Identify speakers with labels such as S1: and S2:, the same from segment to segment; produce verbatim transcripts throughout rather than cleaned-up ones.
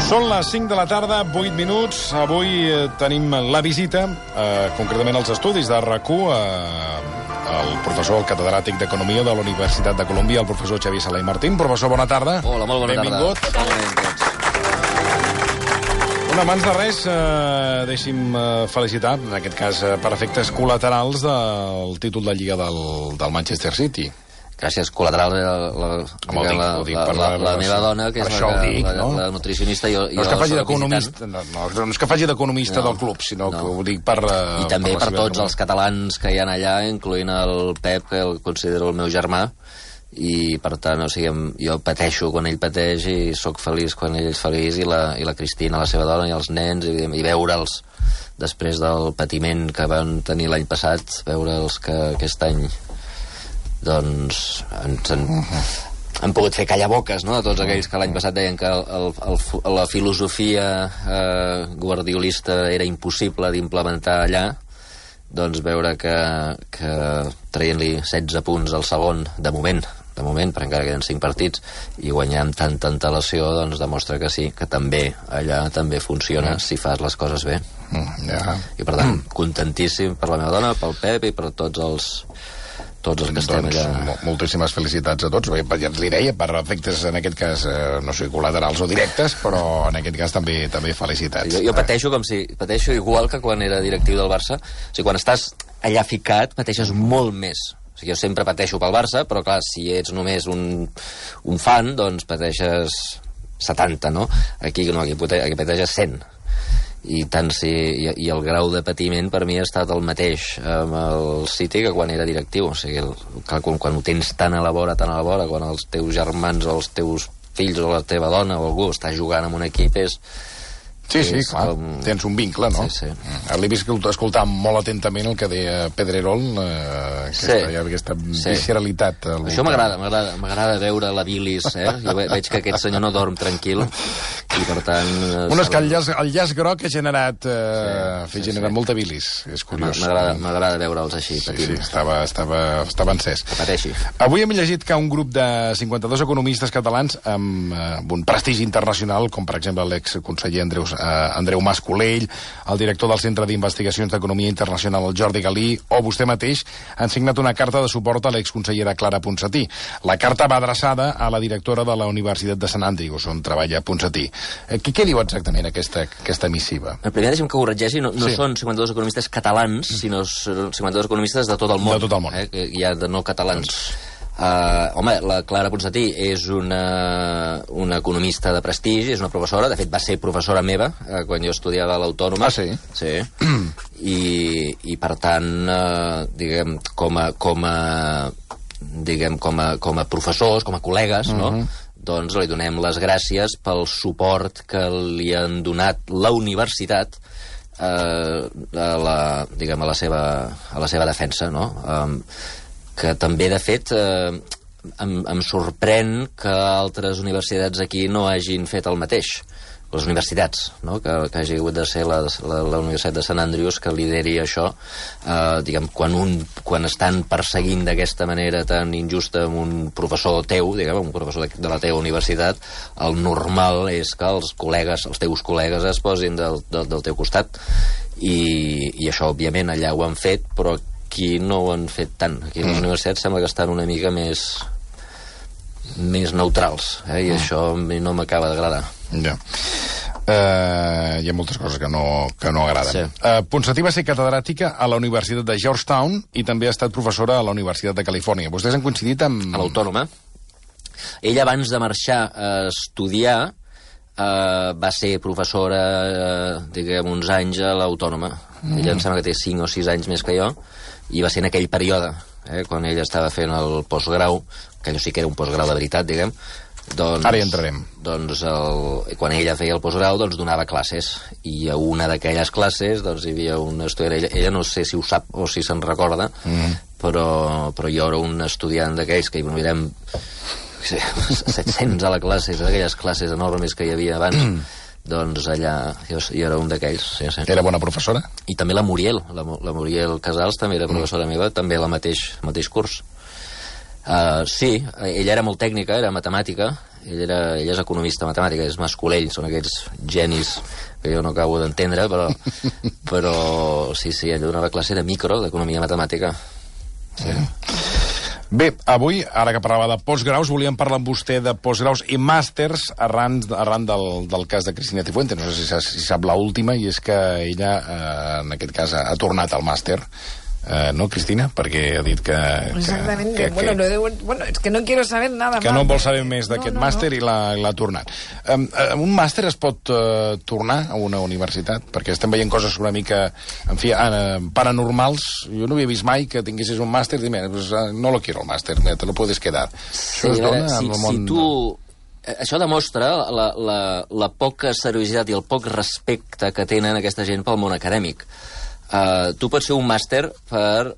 S1: Són les cinc de la tarda, vuit minuts. Avui eh, tenim la visita, eh, concretament als estudis de RAC u, eh, el professor catedràtic d'Economia de la Universitat de Colòmbia, el professor Xavier Sala i Martín. Professor, bona tarda.
S2: Hola, molt bona
S1: Benvingut.
S2: tarda. Benvinguts.
S1: Bueno, abans de res, eh, deixi'm eh, felicitar, en aquest cas, eh, per efectes col·laterals, del títol de Lliga del, del Manchester City.
S2: Gràcies, col·lateral, la, la,
S1: Home,
S2: la,
S1: dic,
S2: la,
S1: dic,
S2: la,
S1: per
S2: la,
S1: la-
S2: la meva dona, que és
S1: això
S2: la,
S1: ho dic,
S2: la,
S1: no?
S2: la nutricionista, i jo,
S1: No és que
S2: jo
S1: faci
S2: soc
S1: d'economista, no, no, no és que faci d'economista
S2: No.
S1: del club, sinó
S2: No.
S1: que ho dic per... eh,
S2: I també
S1: la
S2: per
S1: seva
S2: tots els catalans que hi ha allà, incloent el Pep, que el considero el meu germà, i per tant, o sigui, em- jo pateixo quan ell pateix i sóc feliç quan ell és feliç, i la, i la Cristina, la seva dona, i els nens, i, i veure'ls després del patiment que van tenir l'any passat, veure'ls que aquest any doncs ens han, han pogut fer callar boques, no?, a tots aquells que l'any passat deien que el, el, el, la filosofia eh, guardiolista era impossible d'implementar allà. Doncs veure que, que traient-li setze punts al segon, de moment, de moment, perquè encara queden cinc partits, i guanyar amb tanta antelació, doncs demostra que sí, que també allà també funciona mm. si fas les coses bé.
S1: Mm, ja.
S2: I per tant, contentíssim per la meva dona, pel Pep i per tots els tots els que estem
S1: Doncs,
S2: allà.
S1: mo- moltíssimes felicitats a tots. Bé, ja ens li deia, per efectes, en aquest cas, eh, no sé, col·laterals o directes, però en aquest cas també també felicitats.
S2: Jo, jo pateixo com si... Pateixo igual que quan era directiu del Barça. O sigui, quan estàs allà ficat, pateixes molt més. O sigui, jo sempre pateixo pel Barça, però clar, si ets només un, un fan, doncs pateixes setanta, no? Aquí no, aquí, pate- aquí pateixes cent. I tant si, i, i el grau de patiment per mi ha estat el mateix amb el City que quan era directiu. O sigui, el, clar, quan, quan ho tens tan a la vora, tan a la vora, quan els teus germans o els teus fills o la teva dona o algú està jugant en un equip, és...
S1: Sí, sí,
S2: és
S1: clar,
S2: com...
S1: tens un vincle, no?
S2: Sí, sí.
S1: Mm. L'he vist escoltar molt atentament el que deia Pedrerol, eh, aquesta,
S2: Sí.
S1: ja, aquesta
S2: Sí.
S1: visceralitat. al
S2: Això
S1: voltant.
S2: m'agrada, m'agrada, m'agrada veure la bilis, eh? Jo ve- veig que aquest senyor no dorm tranquil, i per tant... eh,
S1: Bueno, és que el
S2: s'ha-
S1: llaç, el llaç groc ha generat, eh,
S2: Sí,
S1: sí,
S2: sí,
S1: generat
S2: sí.
S1: molta bilis, és curiós.
S2: M'agrada, m'agrada veure'ls així,
S1: Sí, sí,
S2: patint.
S1: estava, estava, estava encès.
S2: Que pateixi.
S1: Avui hem llegit que un grup de cinquanta-dos economistes catalans amb, eh, amb un prestigi internacional, com per exemple l'exconseller Andreu, eh, Andreu Mas Colell, el director del Centre d'Investigacions d'Economia Internacional, el Jordi Galí, o vostè mateix, han signat una carta de suport a l'exconsellera Clara Ponsatí. La carta va adreçada a la directora de la Universitat de Sant Andrews, on treballa Ponsatí. Eh, què, què diu exactament aquesta, aquesta missiva?
S2: El primer, deixem que ho corregeixi, no, no
S1: Sí.
S2: sí. són cinquanta-dos economistes catalans, sinó són cinquanta-dos economistes de tot el món.
S1: De tot el món.
S2: Eh, que hi ha de no catalans. Uh, home, la Clara Ponsatí és una, una economista de prestigi, és una professora, de fet va ser professora meva uh, quan jo estudiava a l'Autònoma.
S1: Ah, sí?
S2: Sí. I, i per tant, uh, diguem, com a, com a, diguem, com a, com a professors, com a col·legues, no? Doncs li donem les gràcies pel suport que li han donat la universitat eh, a, la, diguem, a, la seva, a la seva defensa, no? Um, que també, de fet, eh, em, em sorprèn que altres universitats aquí no hagin fet el mateix. Les universitats, no?, que, que hagi hagut de ser la, la, la Universitat de Sant Andrews que lideri això, eh, diguem, quan, un, quan estan perseguint d'aquesta manera tan injusta amb un professor teu, diguem, un professor de, de la teva universitat, el normal és que els col·legues, els teus col·legues es posin del, del, del teu costat. I, i això, òbviament, allà ho han fet, però aquí no ho han fet tant. Aquí les universitats sembla que estan una mica més més neutrals, eh? I això a mi no m'acaba d'agradar.
S1: Ja. Uh, hi ha moltes coses que no, que no agraden.
S2: Sí.
S1: Uh, Ponsatí va ser catedràtica a la Universitat de Georgetown i també ha estat professora a la Universitat de Califòrnia. Vostès han coincidit amb...
S2: A l'Autònoma. Ella, abans de marxar a estudiar, eh, va ser professora, eh, diguem, uns anys a l'Autònoma. Mm. Ella em sembla que té cinc o sis anys més que jo, i va ser en aquell període, eh, quan ella estava fent el postgrau, que allò sí que era un postgrau de veritat, diguem. Doncs,
S1: Ara hi entrarem.
S2: Doncs el, quan ella feia el postgrau, doncs donava classes, i a una d'aquelles classes doncs hi havia un estudiant, ella, ella no sé si ho sap o si se'n recorda, mm. però, però jo era un estudiant d'aquells que hi mirem set-cents a la classe, d'aquelles classes enormes que hi havia abans, doncs allà jo, jo era un d'aquells. Sí, sí.
S1: Era bona professora?
S2: I també la Muriel, la, la Muriel Casals també era professora mm. meva, també al mateix, mateix curs. Uh, sí, ella era molt tècnica, era matemàtica, ell, era, ell és economista matemàtic, és Mascolell, són aquests genis que jo no acabo d'entendre, però, però sí, sí, ell donava classe de micro, d'economia matemàtica. Sí.
S1: Bé, avui, ara que parlava de postgraus, volíem parlar amb vostè de postgraus i màsters arran, arran del, del cas de Cristina Cifuentes. No sé si, si sap l'última, i és que ella, eh, en aquest cas, ha, ha tornat al màster. Eh, no, Cristina? Perquè ha dit que...
S3: Exactament,
S1: que, que,
S3: bueno,
S1: que,
S3: de, bueno, és que no quiero saber nada
S1: que
S3: más.
S1: no vol saber més d'aquest no, no, màster no. i l'ha tornat. Um, un màster es pot uh, tornar a una universitat? Perquè estem veient coses una mica, en fi, uh, paranormals. Jo no havia vist mai que tinguessis un màster i dir, pues, uh, no lo quiero el màster, te lo puedes quedar.
S2: Sí, això es dona si, en el món... Si tu... Això demostra la, la, la poca seriositat i el poc respecte que tenen aquesta gent pel món acadèmic. Uh, tu pots fer un màster per uh,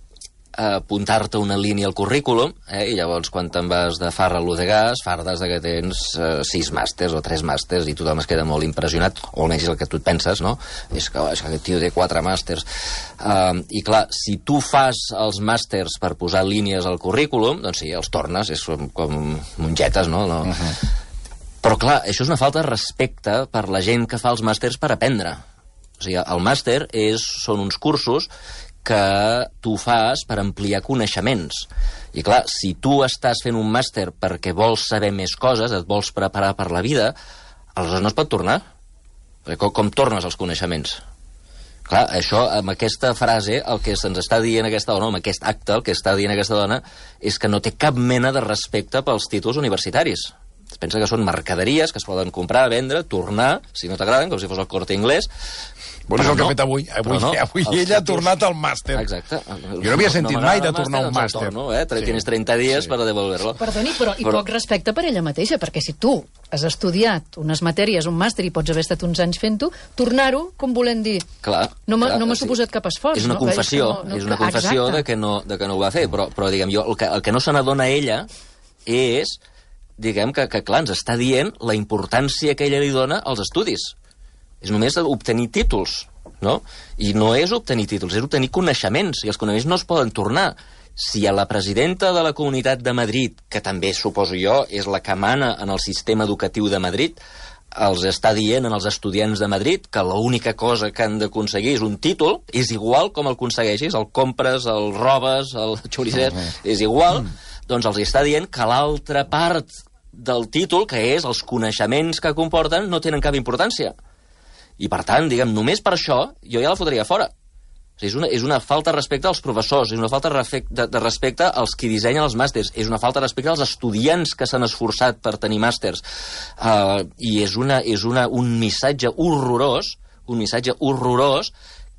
S2: apuntar-te una línia al currículum, eh? I llavors quan te'n vas de farra a l'Udegàs fardes de que tens uh, sis màsters o tres màsters i tothom es queda molt impressionat, o almenys és el que tu et penses, no? És que, és que aquest tio té quatre màsters. Uh, I clar, si tu fas els màsters per posar línies al currículum, doncs sí, els tornes, és com, com mongetes, no? no? Uh-huh. Però clar, això és una falta de respecte per la gent que fa els màsters per aprendre. O sigui, el màster és, són uns cursos que tu fas per ampliar coneixements. I clar, si tu estàs fent un màster perquè vols saber més coses, et vols preparar per la vida, aleshores no es pot tornar. Perquè com, com tornes els coneixements? Clar, això, amb aquesta frase, el que se'ns està dient aquesta dona, amb aquest acte, el que està dient aquesta dona, és que no té cap mena de respecte pels títols universitaris. Es pensa que són mercaderies que es poden comprar, vendre, tornar, si no t'agraden, com si fos el Corte Inglés.
S1: Bueno, és el que ha fet avui. Avui, no, avui ella títols... ha tornat al màster.
S2: Exacte.
S1: Jo no havia sentit no mai de tornar a un màster.
S2: Torno, eh? Sí. Tienes trenta dies sí. per devolver-lo.
S4: Perdoni, però i però... poc respecte per ella mateixa, perquè si tu has estudiat unes matèries, un màster, i pots haver estat uns anys fent-ho, tornar-ho, com volem dir?
S2: Clar.
S4: No m'ha no
S2: sí.
S4: suposat cap esforç.
S2: És una
S4: no?
S2: confessió,
S4: no, no,
S2: és una confessió de que, no, de que no ho va fer, però, però diguem, jo, el que, el que no se n'adona ella és, diguem, que, que clar, ens està dient la importància que ella li dona als estudis. És només obtenir títols, no? I no és obtenir títols, és obtenir coneixements, i els coneixements no es poden tornar. Si a la presidenta de la Comunitat de Madrid, que també, suposo jo, és la que mana en el sistema educatiu de Madrid, els està dient als estudiants de Madrid que l'única cosa que han d'aconseguir és un títol, és igual com el aconsegueixis, el compres, el robes, el xoricer, és igual, doncs els està dient que l'altra part del títol, que és els coneixements que comporten, no tenen cap importància. I, per tant, diguem, només per això, jo ja la fotria fora. O sigui, és, una, és una falta de respecte als professors, és una falta de, de respecte als qui dissenyen els màsters, és una falta de respecte als estudiants que s'han esforçat per tenir màsters. Uh, I és, una, és una, un missatge horrorós, un missatge horrorós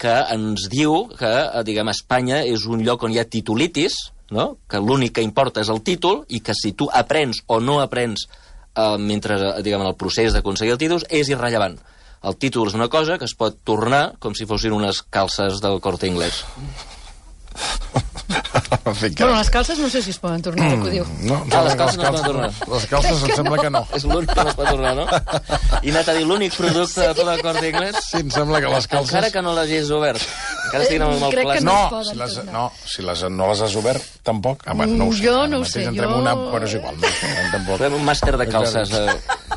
S2: que ens diu que, diguem, Espanya és un lloc on hi ha titulitis, no? Que l'únic que importa és el títol, i que si tu aprens o no aprens uh, mentre, diguem, el procés d'aconseguir el títol és irrellevant. El títol és una cosa que es pot tornar com si fossin unes calces del Corte Inglés.
S4: Bueno, les calces no sé si es poden tornar, mm, que ho diu.
S1: No, no,
S2: ah, les calces no es poden tornar.
S1: Les calces em sembla que no.
S2: És l'únic que no es pot tornar, no? I anat a dir l'únic producte de tot el Corte Inglés?
S1: Sí, em sembla que les calces...
S2: Encara que no l'hagis obert. Encara estiguin amb el plàstic.
S1: No, si les, no, si les, no les has obert, tampoc. Ah, no ho sé.
S4: Jo no ho sé.
S1: Jo... Una... Bueno, és igual. No, tampoc.
S2: Fem un màster de calces.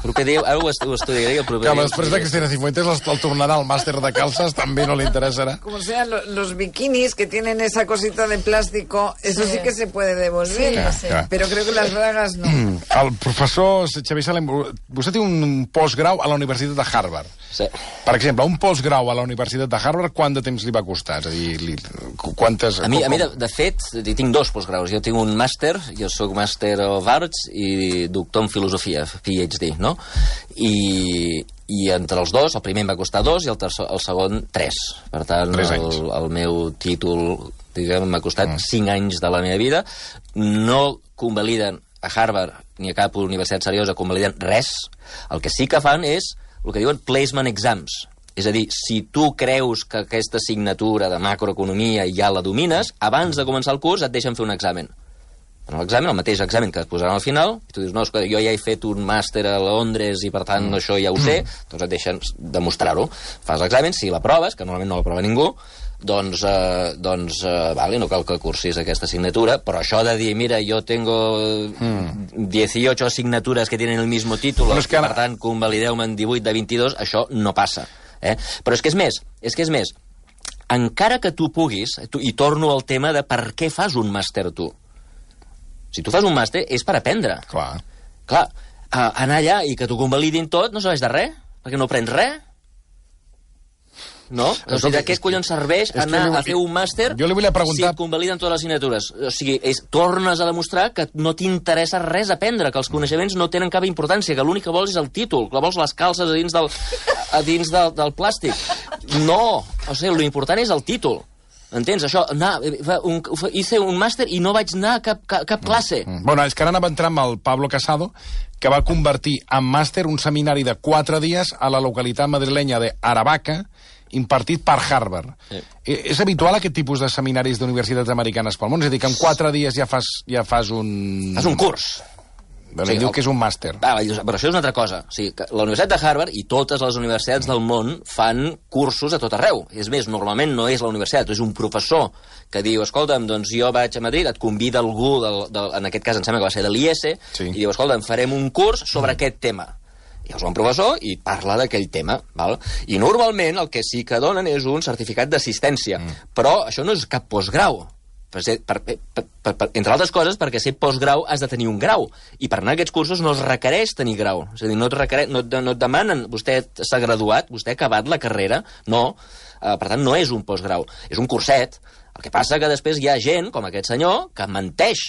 S2: Proper dia, ara ho estudiaré el proper dia.
S1: Que després de Cristina Cifuentes el tornarà al màster de calces, també no li interessarà.
S3: Como sean los bikinis que tienen esa cosita de plástico, eso sí, sí que se puede devolver, sí, sí. Pero creo que las bragas no.
S1: El professor Xavier Salem, vostè té un postgrau a la Universitat de Harvard.
S2: Sí.
S1: Per exemple, un postgrau a la Universitat de Harvard, quant de temps li va costar? És a dir, li, quantes...
S2: A mi, a mi de, de fet, tinc dos postgraus. Jo tinc un màster, jo soc Master of Arts i doctor en filosofia, P H D, no? I, i entre els dos, el primer em va costar dos i el, tercer, el segon tres. Per tant, el, el meu títol, diguem, m'ha costat mm. cinc anys de la meva vida. No convaliden a Harvard ni a cap universitat seriosa, convaliden res. El que sí que fan és el que diuen placement exams. És a dir, si tu creus que aquesta assignatura de macroeconomia ja la domines, abans de començar el curs et deixen fer un examen. En l'examen, el mateix examen que et posaran al final, i tu dius, no, escolta, jo ja he fet un màster a Londres i per tant mm. això ja ho sé, doncs et deixen demostrar-ho. Fas l'examen, si l'aproves, que normalment no l'aprova ningú, doncs, eh, doncs eh, vale, no cal que cursis aquesta assignatura, però això de dir, mira, jo tengo mm. dieciocho asignaturas que tienen el mismo título, es que ara... per tant, convalideu-me en divuit de vint-i-dos, això no passa. Eh? Però és que és més, és que és més, encara que tu puguis, tu, i torno al tema de per què fas un màster tu. Si tu fas un màster és per aprendre.
S1: Clar.
S2: Clar, uh, anar allà i que t'ho convalidin tot no serveix de res, perquè no aprens res. No? O sigui, de què collons serveix anar li... a fer un màster
S1: jo li volia preguntar...
S2: si et convaliden totes les assignatures? O sigui, és, tornes a demostrar que no t'interessa res aprendre, que els coneixements no tenen cap importància, que l'únic que vols és el títol, que vols les calces a dins del, a dins del, del plàstic. No! O sigui, l'important és el títol. Entens? Això, anar, un, hice un màster i no vaig anar a cap, cap, cap classe.
S1: Mm. Bueno, és que ara anava entrant amb el Pablo Casado, que va convertir en màster un seminari de quatre dies a la localitat madrilenya de Aravaca, impartit per Harvard. Sí. És habitual aquest tipus de seminaris d'universitats americanes pel món? És a dir, que en quatre dies ja fas, ja fas un...
S2: Fas un curs.
S1: Doncs sí, diu el... que és un màster.
S2: Ah, però això és una altra cosa. O sigui, que la Universitat de Harvard i totes les universitats del món fan cursos a tot arreu. És més, normalment no és la universitat, és un professor que diu, escolta'm, doncs jo vaig a Madrid, et convida algú, del, del, en aquest cas em sembla que va ser de l'I E S, sí. I diu, escolta'm, farem un curs sobre mm. aquest tema. I és un professor i parla d'aquell tema. Val? I normalment el que sí que donen és un certificat d'assistència. Mm. Però això no és cap postgrau. Per ser, per, per, per, per, entre altres coses, perquè ser postgrau has de tenir un grau. I per anar a aquests cursos no es requereix tenir grau. És a dir, no et, requereix, no, no et demanen, vostè s'ha graduat, vostè ha acabat la carrera. No. Uh, per tant, no és un postgrau. És un curset. El que passa que després hi ha gent, com aquest senyor, que menteix.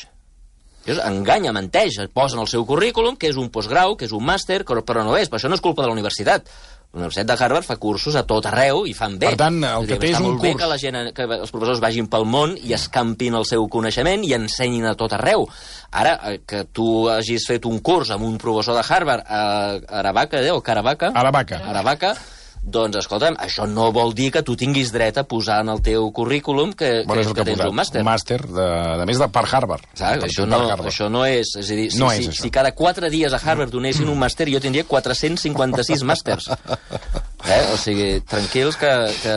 S2: Enganya, menteix, posa en el seu currículum que és un postgrau, que és un màster, però no és, però això no és culpa de la universitat. La Universitat de Harvard fa cursos a tot arreu i fan bé.
S1: Per tant, el que té és un curs. Està molt bé
S2: que, la gent, que els professors vagin pel món i escampin el seu coneixement i ensenyin a tot arreu. Ara, que tu hagis fet un curs amb un professor de Harvard a Aravaca, o Caravaca?
S1: Aravaca.
S2: Aravaca. Doncs, escolta'm, això no vol dir que tu tinguis dret a posar en el teu currículum que,
S1: bueno,
S2: que,
S1: que,
S2: que
S1: tens
S2: un màster.
S1: Un màster, de, de més de per Harvard.
S2: Exacte, això, no, això no és... És a dir, si, no és si, si cada quatre dies a Harvard donessin un màster, jo tindria quatre-cents cinquanta-sis màsters. Eh? O sigui, tranquils que, que,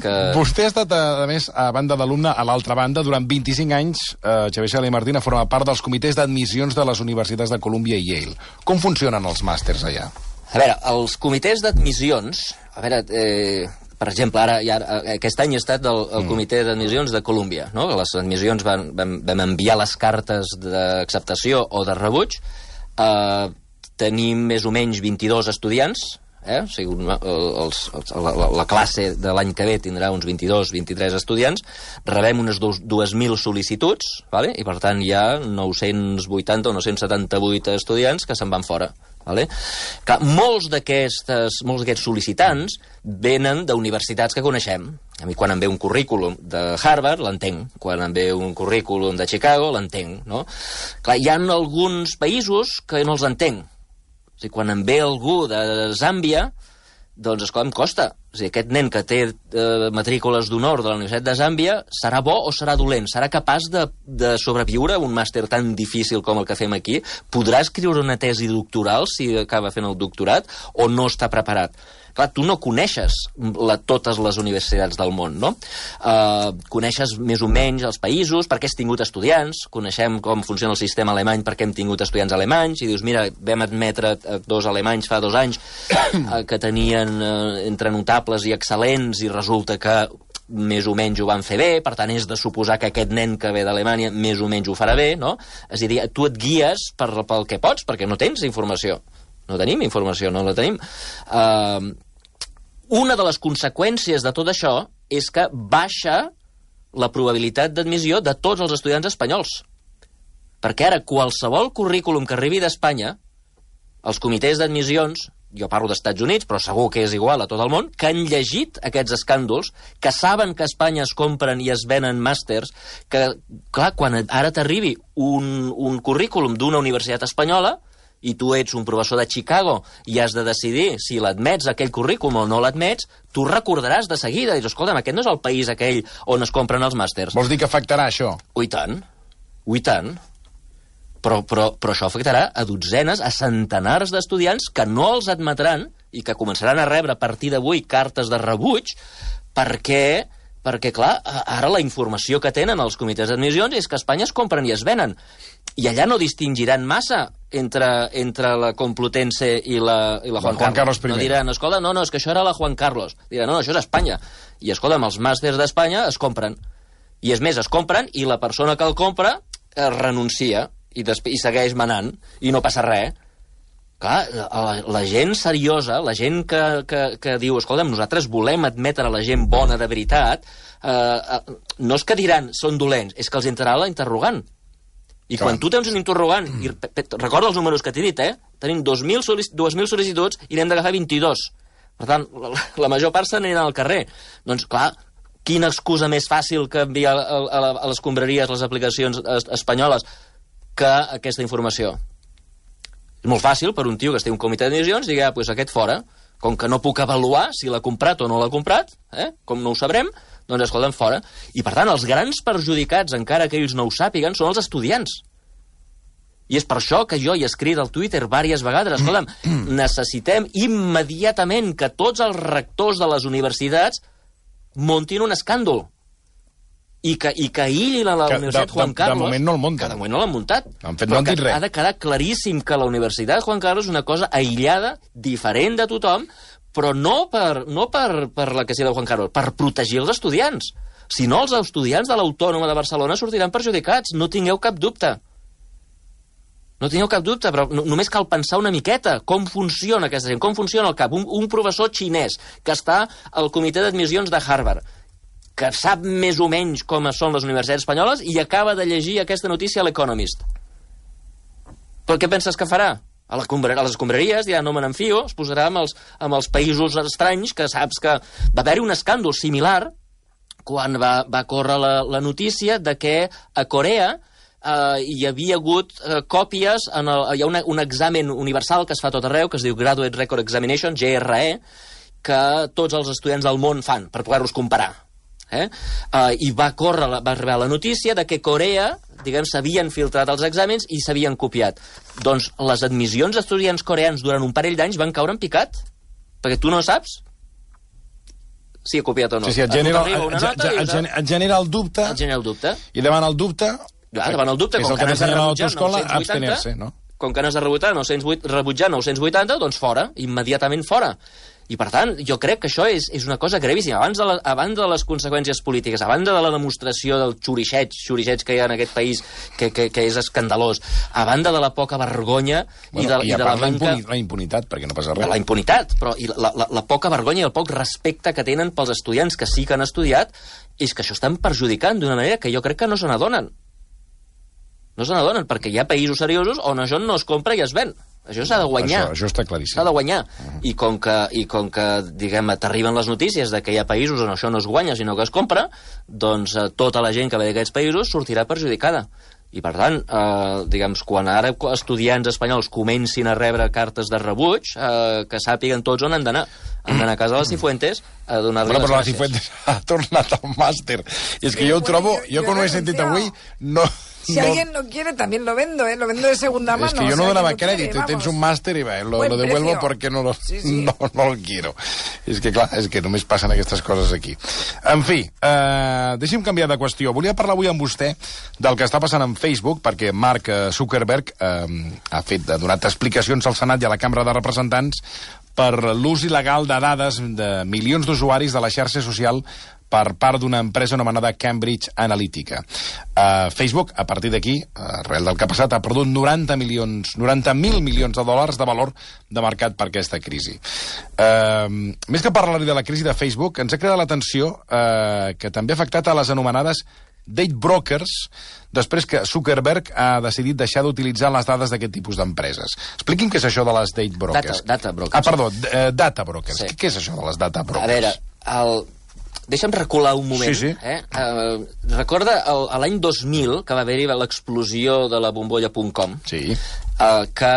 S2: que...
S1: Vostè ha estat, a més, a banda d'alumne, a l'altra banda, durant vint-i-cinc anys, eh, Xavier Sala i Martín ha format part dels comitès d'admissions de les universitats de Columbia i Yale. Com funcionen els màsters allà?
S2: A veure, els comitès d'admissions... A veure, eh, per exemple, ara, ja, aquest any he estat el, el comitè d'admissions de Columbia, no? Les admissions van, vam, vam enviar les cartes d'acceptació o de rebuig. Eh, tenim més o menys vint-i-dos estudiants, eh? O sigui, els, els, la, la classe de l'any que ve tindrà uns vint-i-dos vint-i-tres estudiants. Rebem unes dues mil sol·licituds, vale? I per tant hi ha nou-cents vuitanta o nou-cents setanta-vuit estudiants que se'n van fora. Vale? Clar, molts d'aquests molts d'aquests sol·licitants venen d'universitats que coneixem. A mi quan em ve un currículum de Harvard l'entenc, quan em ve un currículum de Chicago l'entenc, no? Clar, hi ha alguns països que no els entenc. O sigui, quan em ve algú de Zàmbia, doncs, esclar, em costa. O sigui, aquest nen que té eh, matrícules d'honor de la Universitat de Zàmbia serà bo o serà dolent? Serà capaç de, de sobreviure un màster tan difícil com el que fem aquí? Podrà escriure una tesi doctoral si acaba fent el doctorat o no està preparat? Clar, tu no coneixes la, totes les universitats del món, no? Uh, coneixes més o menys els països, perquè has tingut estudiants, coneixem com funciona el sistema alemany perquè hem tingut estudiants alemanys, i dius, mira, vam admetre dos alemanys fa dos anys uh, que tenien uh, entre notables i excel·lents, i resulta que més o menys ho van fer bé, per tant és de suposar que aquest nen que ve d'Alemanya més o menys ho farà bé, no? És a dir, tu et guies per, pel que pots, perquè no tens informació. No tenim informació, no la tenim. Uh, una de les conseqüències de tot això és que baixa la probabilitat d'admissió de tots els estudiants espanyols. Perquè ara qualsevol currículum que arribi d'Espanya, els comitès d'admissions, jo parlo d'Estats Units, però segur que és igual a tot el món, que han llegit aquests escàndols, que saben que a Espanya es compren i es venen màsters, que, clar, quan ara t'arribi un, un currículum d'una universitat espanyola, i tu ets un professor de Chicago i has de decidir si l'admets aquell currículum o no l'admets, tu recordaràs de seguida, i dius, escolta'm, aquest no és el país aquell on es compren els màsters.
S1: Vols dir que afectarà això?
S2: Ui tant, ui tant. Però, però, però això afectarà a dotzenes, a centenars d'estudiants que no els admetran i que començaran a rebre a partir d'avui cartes de rebuig perquè perquè, clar, ara la informació que tenen els comitès d'admissions és que a Espanya es compren i es venen. I allà no distingiran massa entre, entre la Complutense i la, i la Juan,
S1: Juan Carlos.
S2: Carlos I. No diran, escolta, no, no, és que això era la Juan Carlos. Diran, no, això és Espanya. I, escolta, els màsters d'Espanya es compren. I, és més, es compren i la persona que el compra es renuncia i, i segueix manant i no passa res. Clar, la, la gent seriosa, la gent que, que, que diu, escolta'm, nosaltres volem admetre la gent bona de veritat, eh, no és que diran són dolents, és que els entrarà la interrogant. I clar, quan tu tens un interrogant, i recorda els números que t'he dit, eh? Tenim dos mil sol·licituds i n'hem d'agafar vint-i-dos. Per tant, la, la major part se n'aniran al carrer. Doncs, clar, quina excusa més fàcil que enviar a, a, a les escombraries, les aplicacions espanyoles, que aquesta informació. És molt fàcil per un tio que es té un comitè d'admissions digui, ah, doncs aquest fora, com que no puc avaluar si l'ha comprat o no l'ha comprat, eh? Com no ho sabrem, doncs escolta'm, fora. I per tant, els grans perjudicats, encara que ells no ho sàpiguen, són els estudiants. I és per això que jo he escrit al Twitter diverses vegades, escolta'm, necessitem immediatament que tots els rectors de les universitats muntin un escàndol. I que, i que ell i la, la Universitat de, Juan Carlos...
S1: De moment no el munten.
S2: Que de moment no l'han muntat.
S1: Han fet, no han dit res.
S2: Ha de quedar claríssim que la Universitat Juan Carlos és una cosa aïllada, diferent de tothom, però no per, no per, per la que sigui de Juan Carlos, per protegir els estudiants. Si no, els estudiants de l'Autònoma de Barcelona sortiran perjudicats. No tingueu cap dubte. No tingueu cap dubte, però no, només cal pensar una miqueta com funciona aquesta gent, com funciona el cap. Un, un professor xinès que està al comitè d'admissions de Harvard, que sap més o menys com són les universitats espanyoles i acaba de llegir aquesta notícia a l'Economist. Però què penses que farà? A, la combra, a les escombraries dirà, no me n'enfio, es posarà amb els, amb els països estranys, que saps que va haver-hi un escàndol similar quan va, va córrer la, la notícia de que a Corea eh, hi havia hagut eh, còpies, en el, hi ha una, un examen universal que es fa tot arreu, que es diu Graduate Record Examination, G R E, que tots els estudiants del món fan per poder-los comparar. Eh? Uh, I va córrer, va arribar la notícia de que Corea, diguem, s'havien filtrat els exàmens i s'havien copiat. Doncs les admissions d'estudiants coreans durant un parell d'anys van caure en picat, perquè tu no saps si ha copiat o no.
S1: Sí, sí, et genera, et genera el dubte.
S2: Et genera el dubte.
S1: I davant el dubte...
S2: Ja, davant el dubte, com que n'has de rebutjar nou cents vuitanta, com que n'has de rebutjar nou cents vuitanta, doncs fora, immediatament fora. I, per tant, jo crec que això és, és una cosa gravíssima. Abans de, la, abans de les conseqüències polítiques, abans de la demostració del xurixeig, xurixeig que hi ha en aquest país, que, que, que és escandalós, a banda de la poca vergonya
S1: bueno, i de, i i de la manca... la impunitat, perquè no passa res.
S2: La impunitat, però i la, la, la poca vergonya i el poc respecte que tenen pels estudiants que sí que han estudiat, és que això estan perjudicant d'una manera que jo crec que no se n'adonen. No se n'adonen, perquè hi ha països seriosos on això no es compra i es ven. Això s'ha de guanyar.
S1: Això, això està claríssim.
S2: S'ha de guanyar. Uh-huh. I com que, i com que diguem, t'arriben les notícies de que hi ha països on això no es guanya, sinó que es compra, doncs eh, tota la gent que ve d'aquests països sortirà perjudicada. I, per tant, eh, diguem, quan ara estudiants espanyols comencin a rebre cartes de rebuig, eh, que sàpiguen tots on han d'anar. Han d'anar a casa de la Cifuentes a donar-li
S1: bueno,
S2: les
S1: però
S2: gràcies.
S1: Però la Cifuentes ha tornat al màster. I és que sí, jo ho trobo, jo, jo quan ho he sentit avui, no...
S3: Si
S1: no.
S3: alguien no quiere, también lo vendo, ¿eh? Lo vendo de segunda mano.
S1: Es que yo
S3: o
S1: no
S3: sea,
S1: donaba
S3: no
S1: crédito,
S3: quiere,
S1: tens un máster y va, lo, lo devuelvo precio. Porque no lo, sí, sí. No, no lo quiero. És que, clar, és que només passen aquestes coses aquí. En fi, eh, deixi'm canviar de qüestió. Volia parlar avui amb vostè del que està passant en Facebook, perquè Mark Zuckerberg eh, ha fet, ha donat explicacions al Senat i a la Cambra de Representants per l'ús il·legal de dades de milions d'usuaris de la xarxa social per part d'una empresa anomenada Cambridge Analytica. Uh, Facebook, a partir d'aquí, arrel del que ha passat, ha perdut noranta milions, noranta mil milions de dòlars de valor de mercat per aquesta crisi. Uh, més que parlar de la crisi de Facebook, ens ha cridat l'atenció uh, que també ha afectat a les anomenades date brokers, després que Zuckerberg ha decidit deixar d'utilitzar les dades d'aquest tipus d'empreses. Expliqui'm què és això de les date brokers.
S2: Data, data brokers.
S1: Ah, perdó, uh, data brokers. Sí. Què és això de les data brokers?
S2: A veure, el... deixa'm recular un moment.
S1: Sí, sí.
S2: Eh? Uh, recorda el, l'any dos mil, que va haver-hi l'explosió de la bombolla punt com,
S1: sí.
S2: uh, que,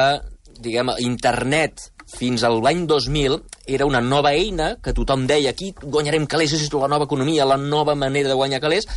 S2: diguem, internet fins al l'any dos mil era una nova eina que tothom deia aquí guanyarem calés, és la nova economia, la nova manera de guanyar calés,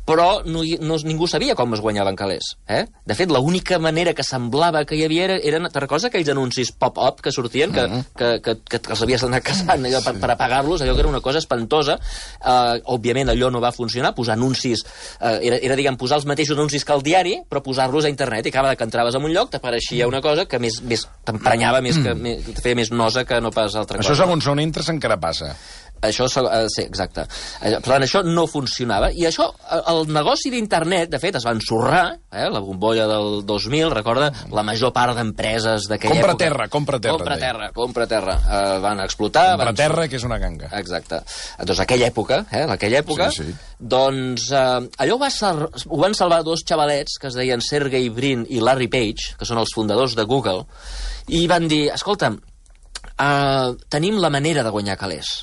S2: però no, no, ningú sabia com es guanyaven calés. Eh? De fet, l'única manera que semblava que hi havia era, eren, te recordes aquells anuncis pop-up que sortien, que, uh-huh. que, que, que, que els havies d'anar caçant allò per, per apagar-los, allò que era una cosa espantosa. Uh, òbviament, allò no va funcionar, posar anuncis, uh, era, era, diguem, posar els mateixos anuncis que al diari, però posar-los a internet, i cada vegada que entraves en un lloc t'apareixia una cosa que més, més t'emprenyava, més que més, te feia més nosa que no pas altra
S1: cosa. Això segons on entres encara passa.
S2: Això, uh, sí, exacte. Per tant, això no funcionava. I això, el negoci d'internet, de fet, es va ensorrar, eh, la bombolla del dos mil, recorda, la major part d'empreses d'aquella
S1: compra
S2: època...
S1: Terra, compra terra,
S2: compra terra. Compra terra, uh, van explotar...
S1: Compra
S2: van...
S1: terra, que és una ganga.
S2: Exacte. Doncs aquella època, eh, aquella època, sí, sí. doncs uh, allò va sal... ho van salvar dos xavalets que es deien Sergey Brin i Larry Page, que són els fundadors de Google, i van dir, escolta'm, uh, tenim la manera de guanyar calés.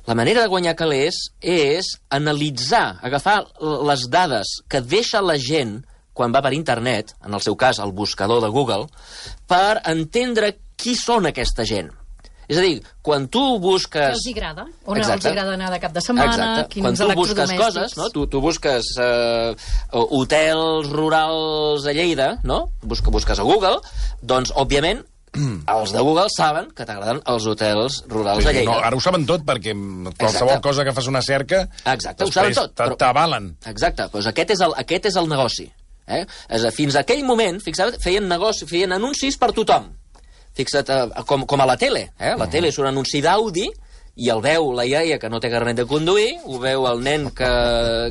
S2: La manera de guanyar calés és analitzar, agafar les dades que deixa la gent quan va per internet, en el seu cas el buscador de Google, per entendre qui són aquesta gent. És a dir, quan tu busques...
S4: Què els agrada? On Exacte. els agrada anar de cap de setmana?
S2: Exacte.
S4: Quins
S2: quan tu busques coses, no? tu, tu busques uh, hotels rurals a Lleida, no? Bus busques a Google, doncs, òbviament, els de Google saben que t'agraden els hotels rurals sí, a Lleida.
S1: No, ara ho saben tot, perquè qualsevol Exacte. cosa que fas una cerca...
S2: Exacte, ho saben tot.
S1: T'avalen.
S2: Exacte, doncs aquest és el, aquest és el negoci. Eh? És a, fins a aquell moment, fixa't, feien, negoci, feien anuncis per tothom. Fixa't, eh, com, com a la tele. Eh? La uh -huh. tele és un anunci d'Audi, i el veu la iaia que no té carnet de conduir, ho veu el nen que,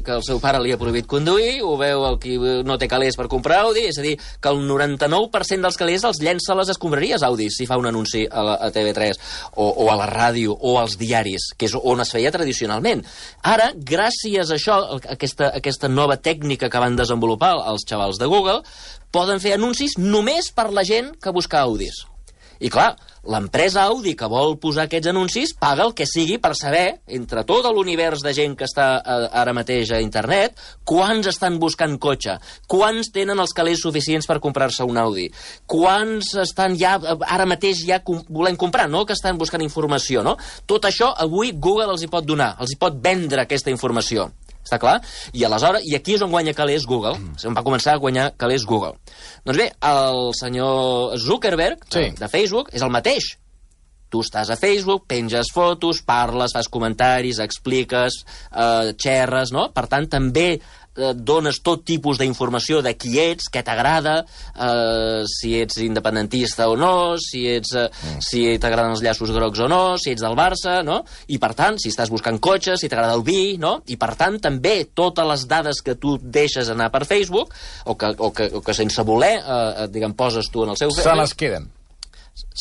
S2: que el seu pare li ha prohibit conduir, ho veu el qui no té calés per comprar Audi, és a dir, que el noranta-nou per cent dels calés els llença a les escombraries Audi, si fa un anunci a, la, a T V tres, o, o a la ràdio, o als diaris, que és on es feia tradicionalment. Ara, gràcies a això, a aquesta, a aquesta nova tècnica que van desenvolupar els xavals de Google, poden fer anuncis només per la gent que busca Audis. I clar, l'empresa Audi que vol posar aquests anuncis paga el que sigui per saber, entre tot l'univers de gent que està eh, ara mateix a internet, quants estan buscant cotxe, quants tenen els calés suficients per comprar-se un Audi, quants estan ja, ara mateix ja com, volent comprar, no que estan buscant informació, no? Tot això avui Google els hi pot donar, els hi pot vendre aquesta informació. Està clar? I aleshores, i aquí és on guanya calés Google. Mm. On va començar a guanyar calés Google. Doncs bé, el senyor Zuckerberg, sí. de, de Facebook, és el mateix. Tu estàs a Facebook, penges fotos, parles, fas comentaris, expliques, eh, xerres, no? Per tant, també eh, dones tot tipus d'informació de qui ets, què t'agrada, eh, si ets independentista o no, si ets eh, mm. si t'agraden els llaços grocs o no, si ets del Barça, no? I per tant, si estàs buscant cotxes, si t'agrada el vi, no? I per tant, també totes les dades que tu deixes anar per Facebook, o que, o que, o que sense voler, eh, diguem, poses tu en el seu...
S1: Se les queden.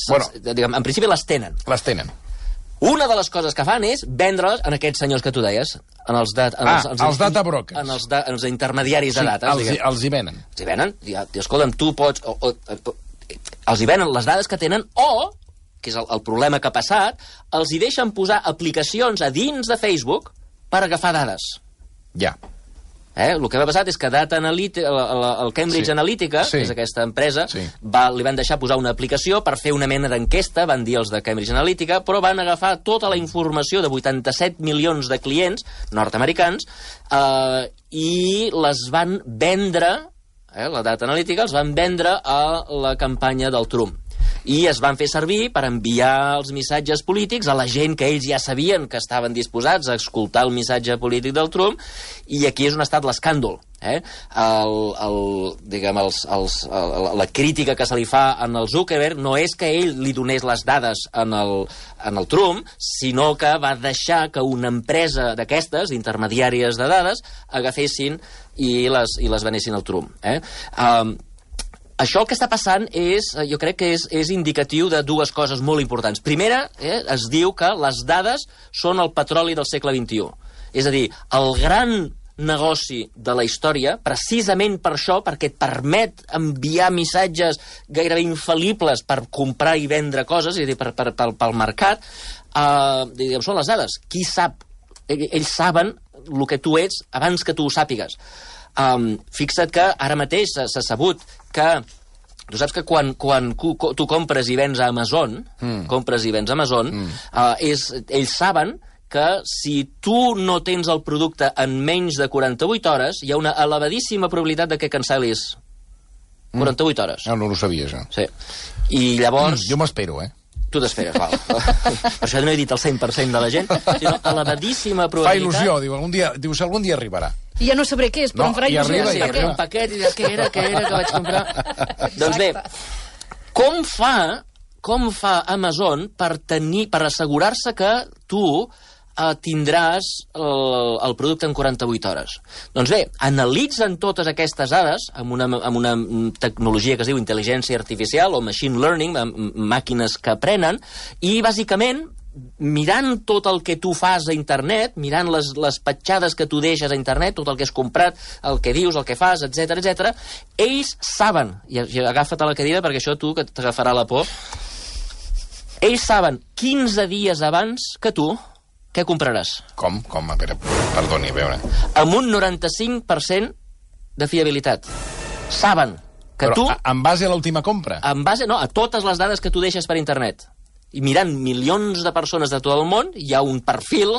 S2: Bueno, diguem, en principi les tenen.
S1: Les tenen.
S2: Una de les coses que fan és vendre-les en aquests senyors que tu deies, en els, dat, en
S1: ah,
S2: els, els,
S1: els data brokers.
S2: En els, da, en els intermediaris
S1: sí,
S2: de dades.
S1: Els, els hi venen.
S2: Els hi venen. I, i escolta'm, tu pots... O, o, o, els hi venen les dades que tenen, o, que és el, el problema que ha passat, els hi deixen posar aplicacions a dins de Facebook per agafar dades.
S1: Ja.
S2: Eh? El que va passar és que Data Analytica, el, el Cambridge sí. Analytica, sí. que és aquesta empresa, sí. va, li van deixar posar una aplicació per fer una mena d'enquesta, van dir els de Cambridge Analytica, però van agafar tota la informació de vuitanta-set milions de clients nord-americans eh, i les van vendre, eh, la Data Analytica, els van vendre a la campanya del Trump. I es van fer servir per enviar els missatges polítics a la gent que ells ja sabien que estaven disposats a escoltar el missatge polític del Trump, i aquí és on ha estat l'escàndol. Eh? El, el, diguem, els, els, el, la crítica que se li fa en el Zuckerberg no és que ell li donés les dades en el, en el Trump, sinó que va deixar que una empresa d'aquestes, intermediàries de dades, agafessin i les, i les venessin al Trump. Eh? Um, Això que està passant és, jo crec que és, és indicatiu de dues coses molt importants. Primera, eh, es diu que les dades són el petroli del segle vint-i-u. És a dir, el gran negoci de la història, precisament per això, perquè et permet enviar missatges gairebé infal·libles per comprar i vendre coses, és a dir, per, per, per, pel mercat, eh, diguem, són les dades. Qui sap? Ells saben el que tu ets abans que tu ho sàpigues. Um, fixa't que ara mateix s'ha sabut que tu saps que quan, quan tu compres i vens a Amazon, mm. compres i vens a Amazon, mm. uh, és, ells saben que si tu no tens el producte en menys de quaranta-vuit hores, hi ha una elevadíssima probabilitat de que cancel·lis quaranta-vuit hores.
S1: No, no ho sabia, això.
S2: Sí. I llavors...
S1: Jo m'espero, eh?
S2: Tu t'esperes, val. Per això no he dit el cent per cent de la gent, sinó elevadíssima probabilitat...
S1: Fa il·lusió, diu, algun dia, diu, si algun dia arribarà.
S4: I ja no sabré què és, però
S1: No,
S4: em farà
S1: i
S4: il·lusió.
S1: arriba,
S2: Sí,
S1: i
S2: arriba un paquet i diràs, què era, què era que vaig comprar? Doncs bé, com fa, com fa Amazon per tenir, per assegurar-se que tu eh, tindràs el, el producte en quaranta-vuit hores? Doncs bé, analitzen totes aquestes dades amb una, amb una tecnologia que es diu intel·ligència artificial o machine learning, amb màquines que aprenen, i bàsicament mirant tot el que tu fas a internet, mirant les, les petjades que tu deixes a internet, tot el que has comprat, el que dius, el que fas, etc etc, ells saben, i, i agafa't a la cadira perquè això tu que t'agafarà la por, ells saben quinze dies abans que tu què compraràs.
S1: Com? Com? A veure, perdoni, a veure.
S2: Amb un noranta-cinc per cent de fiabilitat. Saben que
S1: Però
S2: tu...
S1: a- en base a l'última compra?
S2: En base, no, a totes les dades que tu deixes per internet. I mirant milions de persones de tot el món, hi ha un perfil,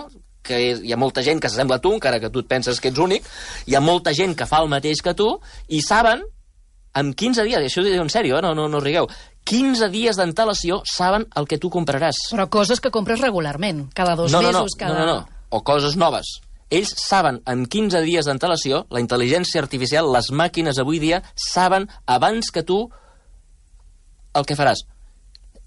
S2: que és, hi ha molta gent que s'assembla a tu, encara que tu et penses que ets únic, hi ha molta gent que fa el mateix que tu, i saben, en quinze dies, i això ho dic en sèrio, eh? no, no, no rigueu, quinze dies d'antelació saben el que tu compraràs.
S4: Però coses que compres regularment, cada dos
S2: no, no,
S4: mesos,
S2: no,
S4: cada...
S2: No, no, no, o coses noves. Ells saben, en quinze dies d'antelació, la intel·ligència artificial, les màquines avui dia, saben abans que tu el que faràs.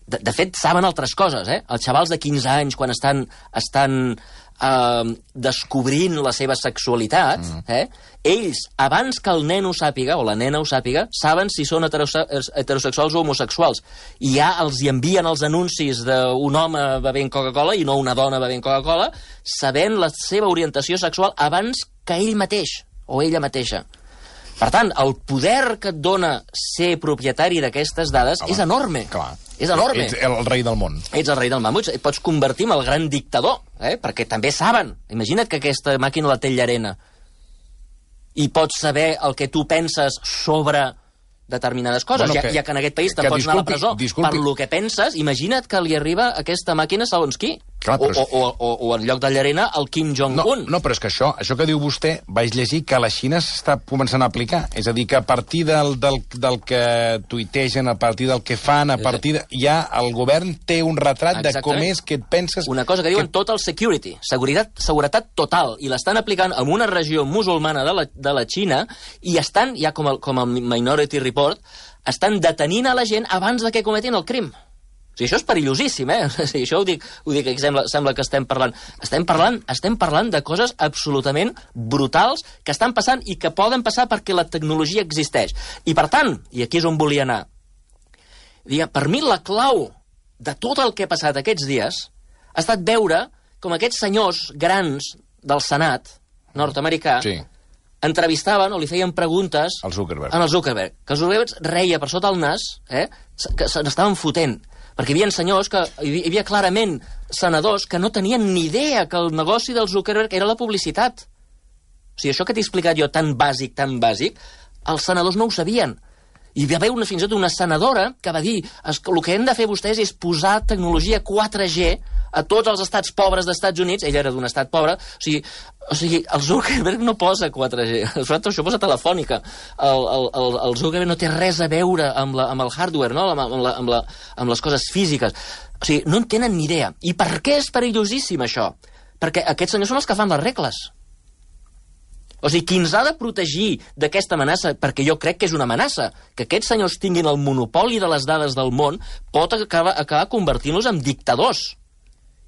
S2: De, de fet, saben altres coses, eh? Els xavals de quinze anys, quan estan, estan eh, descobrint la seva sexualitat, mm. eh? Ells, abans que el nen ho sàpiga, o la nena ho sàpiga, saben si són heterose heterosexuals o homosexuals. I ja els hi envien els anuncis d'un home bevent Coca-Cola i no una dona bevent Coca-Cola, sabent la seva orientació sexual abans que ell mateix, o ella mateixa. Per tant, el poder que et dona ser propietari d'aquestes dades
S1: Home,
S2: és enorme.
S1: Clar.
S2: És enorme.
S1: Ets el rei del món.
S2: Ets el rei del mamut, et pots convertir en el gran dictador, eh? Perquè també saben. Imagina't que aquesta màquina la té Llarena i pots saber el que tu penses sobre determinades coses,
S1: Bueno,
S2: ja,
S1: que-
S2: ja que en aquest país
S1: que
S2: te'n pots anar a la
S1: disculpi,
S2: presó
S1: disculpi.
S2: per lo que penses. Imagina't que li arriba aquesta màquina segons qui.
S1: Clar,
S2: o,
S1: però és-
S2: o, o, o en lloc de Llarena, el Kim
S1: No,
S2: Jong-un.
S1: no, però és que això, això que diu vostè, vaig llegir que a la Xina s'està començant a aplicar. És a dir, que a partir del, del, del que tuitegen, a partir del que fan, a partir de... Ja el govern té un retrat de com
S2: Exactament.
S1: és que et penses...
S2: Una cosa que diuen total security, seguretat, seguretat total, i l'estan aplicant en una regió musulmana de la, de la Xina, i estan, ja com el, com el Minority Report, estan detenint a la gent abans de que cometin el crim. O sigui, això és perillosíssim, eh? O sigui, això ho dic, ho dic que sembla, sembla que estem parlant. Estem parlant, estem parlant de coses absolutament brutals que estan passant i que poden passar perquè la tecnologia existeix. I per tant, i aquí és on volia anar, digue, per mi la clau de tot el que ha passat aquests dies ha estat veure com aquests senyors grans del Senat nord-americà
S1: Sí.
S2: entrevistaven o li feien preguntes
S1: Al Zuckerberg.
S2: en el Zuckerberg, que el Zuckerberg reia per sota el nas, eh, que se n'estaven fotent, perquè hi havia senyors que, hi havia clarament senadors que no tenien ni idea que el negoci del Zuckerberg era la publicitat. O sigui, això que t'he explicat jo tan bàsic, tan bàsic, els senadors no ho sabien. I hi va haver una, fins i tot una senadora que va dir es, el que hem de fer vostès és posar tecnologia quatre G a tots els estats pobres d'Estats Units. Ell era d'un estat pobre. O sigui, o sigui el Zuckerberg no posa quatre G. Això posa telefònica. El, el, el, el Zuckerberg no té res a veure amb, la, amb el hardware, no? amb, amb, la, amb, la, amb les coses físiques. O sigui, no en tenen ni idea. I per què és perillosíssim això? Perquè aquests senyors són els que fan les regles. O sigui, qui ens ha de protegir d'aquesta amenaça, perquè jo crec que és una amenaça, que aquests senyors tinguin el monopoli de les dades del món, pot acabar, acabar convertint-los en dictadors.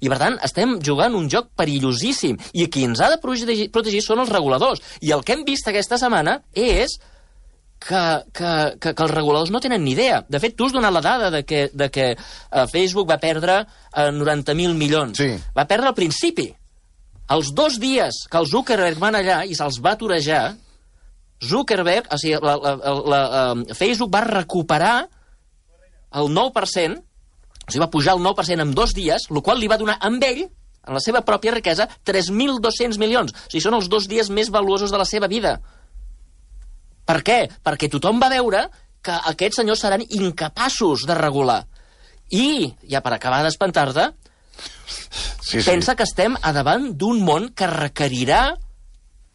S2: I, per tant, estem jugant un joc perillosíssim. I qui ens ha de protegir, protegir són els reguladors. I el que hem vist aquesta setmana és que, que, que, que els reguladors no tenen ni idea. De fet, tu has donat la dada de que, de que uh, Facebook va perdre uh, noranta mil milions.
S1: Sí.
S2: Va perdre al principi. Els dos dies que el Zuckerberg van allà i se'ls va aturejar, Zuckerberg, o sigui, la, la, la, la, Facebook va recuperar el nou per cent, o sigui, va pujar el nou per cent en dos dies, el qual li va donar amb ell, en la seva pròpia riquesa, tres mil dos-cents milions. O sigui, són els dos dies més valuosos de la seva vida. Per què? Perquè tothom va veure que aquests senyors seran incapaços de regular. I, ja per acabar d'espantar-te,
S1: Sí, sí.
S2: Pensa que estem a davant d'un món que requerirà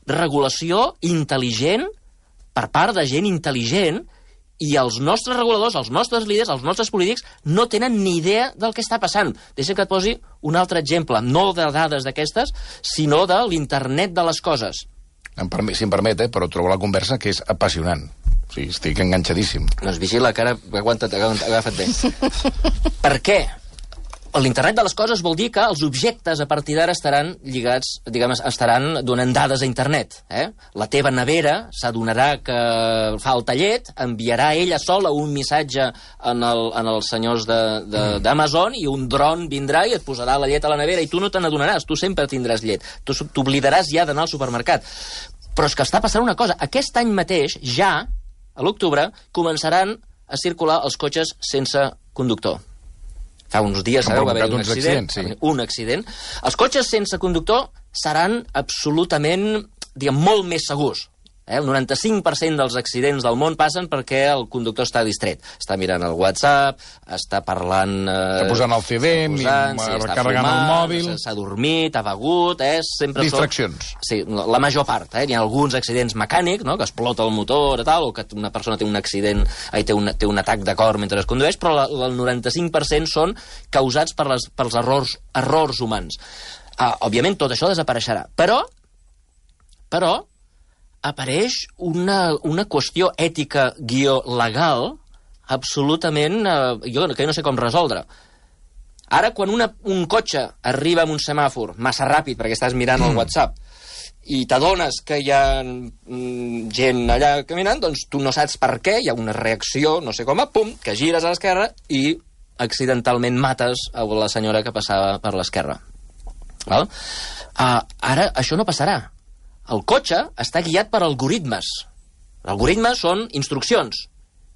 S2: regulació intel·ligent per part de gent intel·ligent, i els nostres reguladors, els nostres líders, els nostres polítics no tenen ni idea del que està passant. Deixa que et posi un altre exemple, no de dades d'aquestes, sinó de l'internet de les coses.
S1: Si em permet, eh, però trobo la conversa que és apassionant. O sigui, estic enganxadíssim.
S2: Doncs vigila, que ara aguanta't, agafa't bé. Per què? L'internet de les coses vol dir que els objectes a partir d'ara estaran lligats, diguem, estaran donant dades a internet. Eh? La teva nevera s'adonarà que falta llet, enviarà ella sola un missatge en, el, en els senyors d'Amazon i un dron vindrà i et posarà la llet a la nevera i tu no te n'adonaràs, tu sempre tindràs llet. Tu t'oblidaràs ja d'anar al supermercat. Però és que està passant una cosa. Aquest any mateix, ja, a l'octubre, començaran a circular els cotxes sense conductor. Fa uns dies, sabeu, va haver un accident, sí. un accident. Els cotxes sense conductor seran absolutament, diguem, molt més segurs. Eh? El noranta-cinc per cent dels accidents del món passen perquè el conductor està distret. Està mirant el WhatsApp, està parlant... Eh,
S1: està posant el C D, posant, sí, està carregant el mòbil...
S2: S'ha dormit, ha begut... Eh? Sempre
S1: distraccions.
S2: Són, sí, la major part. Eh? Hi ha alguns accidents mecànics, no? Que explota el motor, tal, o que una persona té un accident, eh, té, un, té un atac de cor mentre es condueix, però la, el noranta-cinc per cent són causats per les, pels errors, errors humans. Ah, òbviament, tot això desapareixerà. Però... Però... apareix una, una qüestió ètica guió legal absolutament... Eh, jo que no sé com resoldre. Ara, quan una, un cotxe arriba amb un semàfor massa ràpid perquè estàs mirant el WhatsApp i t'adones que hi ha mm, gent allà caminant, doncs tu no saps per què, hi ha una reacció, no sé com, pum, que gires a l'esquerra i accidentalment mates a la senyora que passava per l'esquerra. Val? Uh, ara, això no passarà. El cotxe està guiat per algoritmes. Els algoritmes són instruccions,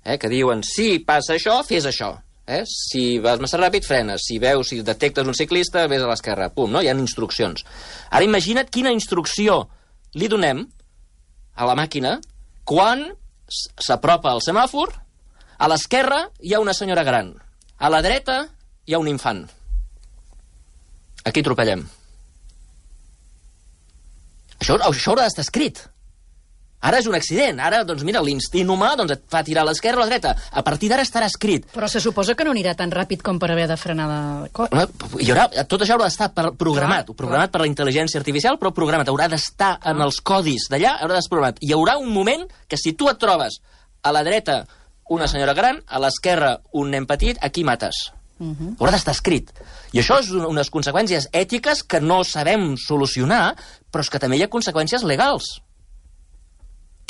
S2: eh, que diuen, si passa això, fes això. Eh? Si vas massa ràpid, frenes. Si veus, si detectes un ciclista, vés a l'esquerra. Pum, no? Hi ha instruccions. Ara imagina't quina instrucció li donem a la màquina quan s'apropa el semàfor, a l'esquerra hi ha una senyora gran, a la dreta hi ha un infant. Aquí atropellem. Això, això haurà d'estar escrit. Ara és un accident. Ara, doncs mira, l'instint humà doncs, et fa tirar a l'esquerra o a la dreta. A partir d'ara estarà escrit.
S4: Però se suposa que no anirà tan ràpid com per haver de frenar de cop.
S2: Hi haurà, tot això haurà d'estar programat. Clar, programat clar. Per la intel·ligència artificial, però programat. Haurà d'estar en ah. els codis d'allà, haurà d'estar programat. Hi haurà un moment que si tu et trobes a la dreta una senyora gran, a l'esquerra un nen petit, aquí mates. Uh-huh. Haurà d'estar escrit. I això és unes conseqüències ètiques que no sabem solucionar, però és que també hi ha conseqüències legals.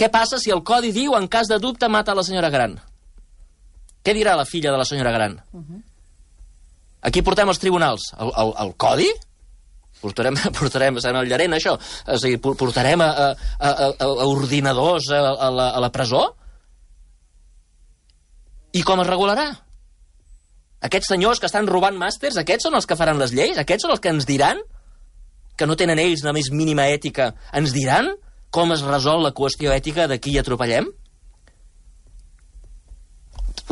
S2: Què passa si el codi diu, en cas de dubte, mata la senyora gran? Què dirà la filla de la senyora gran? Uh-huh. Aquí portem els tribunals. El, el, el codi? Portarem, portarem serem el llarent, això? O sigui, portarem a, a, a, a ordinadors a, a, la, a la presó? I com es regularà? Aquests senyors que estan robant màsters, aquests són els que faran les lleis? Aquests són els que ens diran que no tenen ells la més mínima ètica? Ens diran com es resol la qüestió ètica de qui atropellem?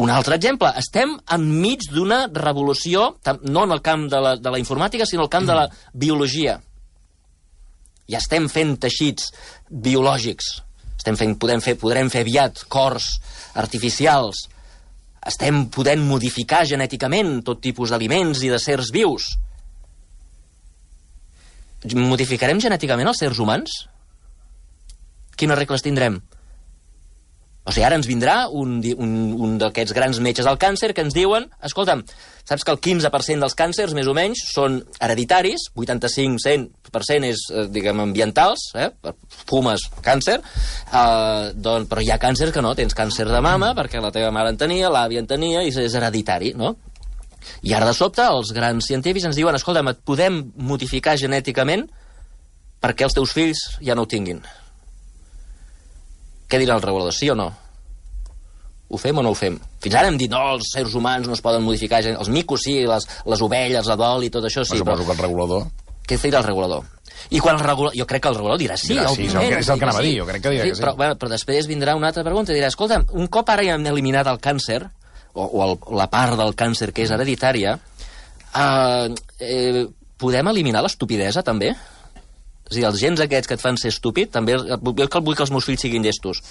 S2: Un altre exemple. Estem enmig d'una revolució, no en el camp de la, de la informàtica, sinó en el camp de la biologia. Ja estem fent teixits biològics. Estem fent, podem fer, podrem fer aviat cors artificials. Estem podent modificar genèticament tot tipus d'aliments i de sers vius. Modificarem genèticament els sers humans? Quines regles tindrem? O sigui, ara ens vindrà un, un, un d'aquests grans metges del càncer que ens diuen, escolta'm, saps que el quinze per cent dels càncers, més o menys, són hereditaris, vuitanta-cinc per cent és, diguem, ambientals, eh? Fumes, càncer, eh, doncs, però hi ha càncers que no, tens càncer de mama, perquè la teva mare en tenia, l'àvia en tenia, i és hereditari, no? I ara, de sobte, els grans científics ens diuen, escolta'm, et podem modificar genèticament perquè els teus fills ja no ho tinguin. Què dirà el regulador, sí o no? Ho fem o no ho fem? Fins ara hem dit, no, els seres humans no es poden modificar, els micos sí, les, les ovelles, la dol i tot això sí.
S1: Però suposo que el regulador...
S2: Què dirà el regulador? I quan el regulador... Jo crec que el regulador dirà sí.
S1: Dirà sí, és el que, és el que anava a dir, jo crec que dirà sí, que sí. Però,
S2: bueno, però després vindrà una altra pregunta i dirà, escolta, un cop ara hem eliminat el càncer, o, o el, la part del càncer que és hereditària, eh, eh, podem eliminar l'estupidesa, també? És a dir, els gens aquests que et fan ser estúpid, també, jo que vull que els meus fills siguin llestos.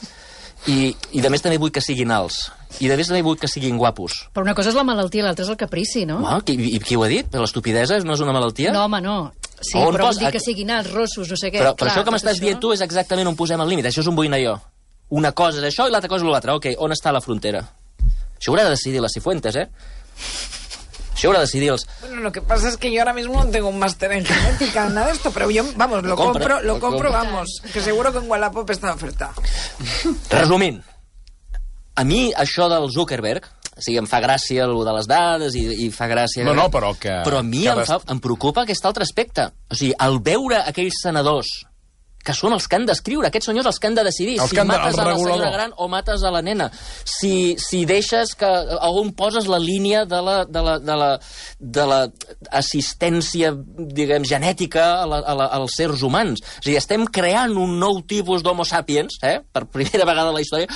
S2: I, i de més també vull que siguin alts. I de més també vull que siguin guapos.
S4: Però una cosa és la malaltia i l'altra és el caprici, no?
S2: No, qui, i qui ho ha dit? L'estupidesa no és una malaltia?
S4: No, home, no. Sí,
S2: on
S4: però
S2: pos...
S4: vol dir que siguin alts, rossos, no sé què.
S2: Però, però
S4: clar,
S2: això que m'estàs
S4: això...
S2: dient tu és exactament on posem el límit. Això és un boina jo. Una cosa és això i l'altra cosa és l'altra. Ok, on està la frontera? Això haurà de decidir la Cifuentes, eh? Això haurà de decidir els...
S3: Bueno, lo que pasa es que yo ahora mismo no tengo un máster en genética, nada de esto, pero yo, vamos, lo, lo compro, compro, lo, lo compro, compro, vamos, que seguro que en Wallapop está en oferta.
S2: Resumint, a mi això del Zuckerberg, o sigui, em fa gràcia el de les dades i, i fa gràcia...
S1: No, no, però que...
S2: Però a mi
S1: que
S2: em,
S1: des...
S2: fa, em preocupa aquest altre aspecte. O sigui, al veure aquells senadors que són els que han d'escriure, aquests senyors els que han de decidir
S1: els
S2: si
S1: de,
S2: mates a la
S1: regulador.
S2: senyora gran o mates a la nena, si, si deixes que... on poses la línia de la, de la, de la, de la assistència, diguem, genètica a la, a la, als sers humans. O sigui, estem creant un nou tipus d'homo sapiens, eh? Per primera vegada a la història,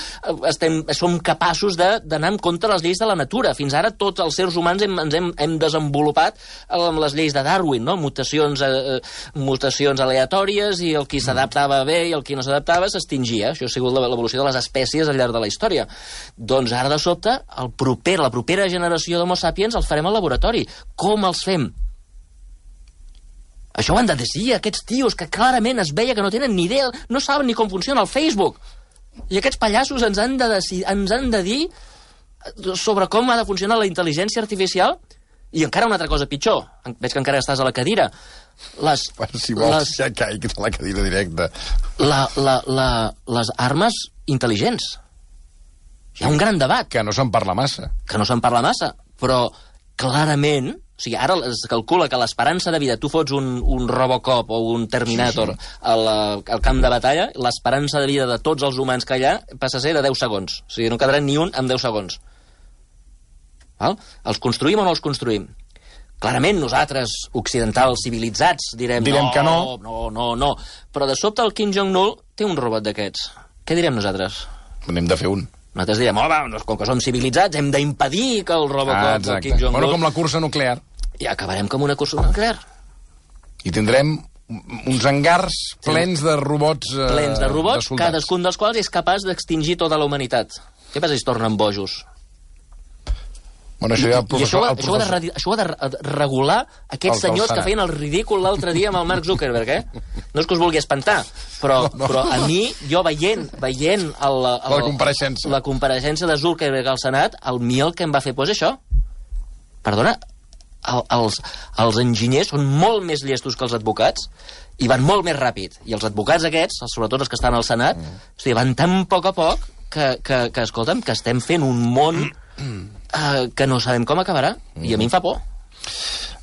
S2: estem, som capaços d'anar en contra les lleis de la natura. Fins ara tots els sers humans hem, ens hem, hem desenvolupat amb les lleis de Darwin, no? Mutacions, eh, mutacions aleatòries i el qui s'adapta s'adaptava bé i el qui no s'adaptava s'extingia. Això ha sigut l'evolució de les espècies al llarg de la història. Doncs ara, de sobte, el proper, la propera generació d'homo sapiens el farem al laboratori. Com els fem? Això ho han de decidir aquests tios que clarament es veia que no tenen ni idea, no saben ni com funciona el Facebook. I aquests pallassos ens han de, decidir, ens han de dir sobre com ha de funcionar la intel·ligència artificial. I encara una altra cosa pitjor. Veig que encara estàs a la cadira. Les,
S1: bueno, si vols,
S2: les,
S1: ja caig a la cadira directa.
S2: La, la, la, les armes intel·ligents. Hi ha un gran debat.
S1: Que no se'n parla massa.
S2: Que no se'n parla massa, però clarament... O sigui, ara es calcula que l'esperança de vida... Tu fots un, un Robocop o un Terminator sí, sí. Al, al camp de batalla, l'esperança de vida de tots els humans que hi ha passa a ser de deu segons. O sigui, no quedarà ni un amb deu segons. Val? Els construïm o no els construïm? Clarament nosaltres, occidentals, civilitzats, direm,
S1: direm
S2: no,
S1: que no.
S2: no, no, no. Però de sobte el Kim Jong-un té un robot d'aquests. Què direm nosaltres?
S1: N'hem de fer un.
S2: Nosaltres direm, home, doncs, com que som civilitzats, hem d'impedir que el Robocop
S1: ah,
S2: del Kim Jong-un...
S1: Bueno, com la cursa nuclear.
S2: I acabarem com una cursa nuclear.
S1: I tindrem uns hangars plens de robots... Eh,
S2: plens de robots,
S1: de
S2: cadascun dels quals és capaç d'extingir tota la humanitat. Què passa si es tornen bojos?
S1: Bueno, això, ja el
S2: professor, I això, això, ho de, això ho ha de regular aquests el, senyors el que feien el ridícul l'altre dia amb el Mark Zuckerberg, eh? No és que us vulgui espantar, però, no, no. però a mi, jo veient, veient el, el,
S1: la compareixença
S2: la compareixença de Zuckerberg al Senat, el mi el que em va fer por és això. Perdona, el, els, els enginyers són molt més llestos que els advocats i van molt més ràpid. I els advocats aquests, sobretot els que estan al Senat, mm. o sigui, van tan poc a poc que, que, que, escolta'm, que estem fent un món... Mm. Uh, que no sabem com acabarà, mm. i a mi em fa por.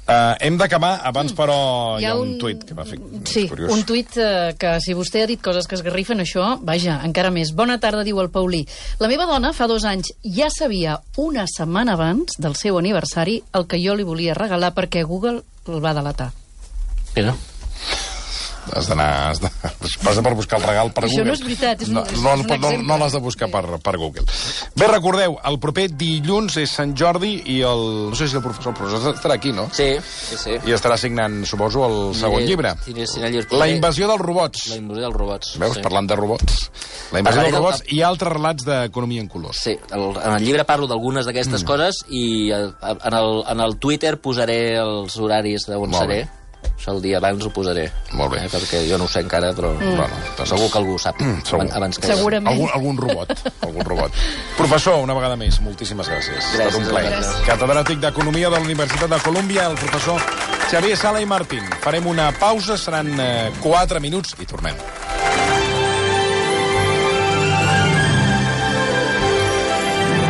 S1: Uh, hem d'acabar, abans però hi ha, hi ha un, un tuit que m'ha fet
S4: sí,
S1: curiós.
S4: Un tuit uh, que si vostè ha dit coses que esgarrifen això, vaja, encara més. Bona tarda, diu el Paulí. La meva dona fa dos anys ja sabia una setmana abans del seu aniversari el que jo li volia regalar perquè Google el va delatar.
S2: Però...
S1: Has d'anar... Has de, passa per buscar el regal per
S4: això
S1: Google.
S4: Això no és veritat, és,
S1: no,
S4: és,
S1: no,
S4: és un
S1: no, no l'has de buscar per, per Google. Bé, recordeu, el proper dilluns és Sant Jordi i el... No sé si el professor, el professor estarà aquí, no?
S2: Sí, sí, sí.
S1: I estarà signant, suposo, el segon llibre. La invasió dels robots.
S2: La invasió dels robots.
S1: Veus,
S2: sí.
S1: Parlant de robots. La invasió dels robots i altres relats d'economia en colors.
S2: Sí, el, en el llibre parlo d'algunes d'aquestes mm. coses i en el, en el Twitter posaré els horaris d'on seré. Això el dia abans ho posaré.
S1: Molt bé.
S2: Eh, perquè jo no ho sé encara, però mm. bueno, segur que algú ho sap. Mm, abans, abans que
S4: segurament.
S1: Algun, algun robot. algun robot. Professor, una vegada més, moltíssimes gràcies.
S2: Gràcies.
S1: Un plaer. Catedràtic d'Economia de la Universitat de Colúmbia, el professor Xavier Sala i Martín. Farem una pausa, seran eh, quatre minuts i tornem.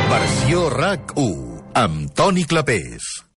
S5: Versió RAC u, amb Toni Clapés.